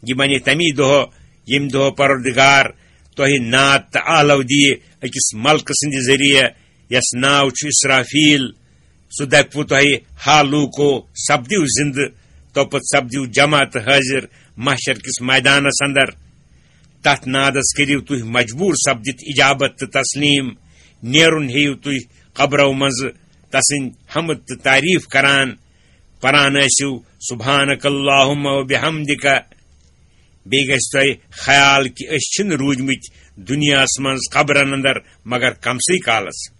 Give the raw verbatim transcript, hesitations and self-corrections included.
یہِ بنہِ تَمی دۄہ، ییٚمہِ دۄہ پروردگار تۄہہِ ناد تہٕ آلو دِیہِ أکِس ملکہٕ سٕنٛدِ ذٔریعہٕ، یَس ناو چھُ اسرافیل۔ سُہ دَپہِ تۄہہِ، ہا لوٗکو، سپدِو زِندٕ، توپتہٕ سپدِو جمع تہٕ حٲضِر محشر کِس مٲدانس اندر۔ تتھ نادس کٔرِو تُہۍ مجبوٗر سپدِتھ اجابت تہٕ تسلیٖم۔ نیرُن ہیٚیِو تُہۍ قبرو منٛزٕ تسٕنٛدۍ حمد تہٕ تعریٖف کران، پران ٲسِو سبحانک اللہم و بحمدک۔ بیٚیہِ گژھِ تۄہہِ خیال کہِ أسۍ چھِنہٕ روٗدمٕتۍ دُنیاہس منٛز قبرن اندر مگر کمسٕے کالس۔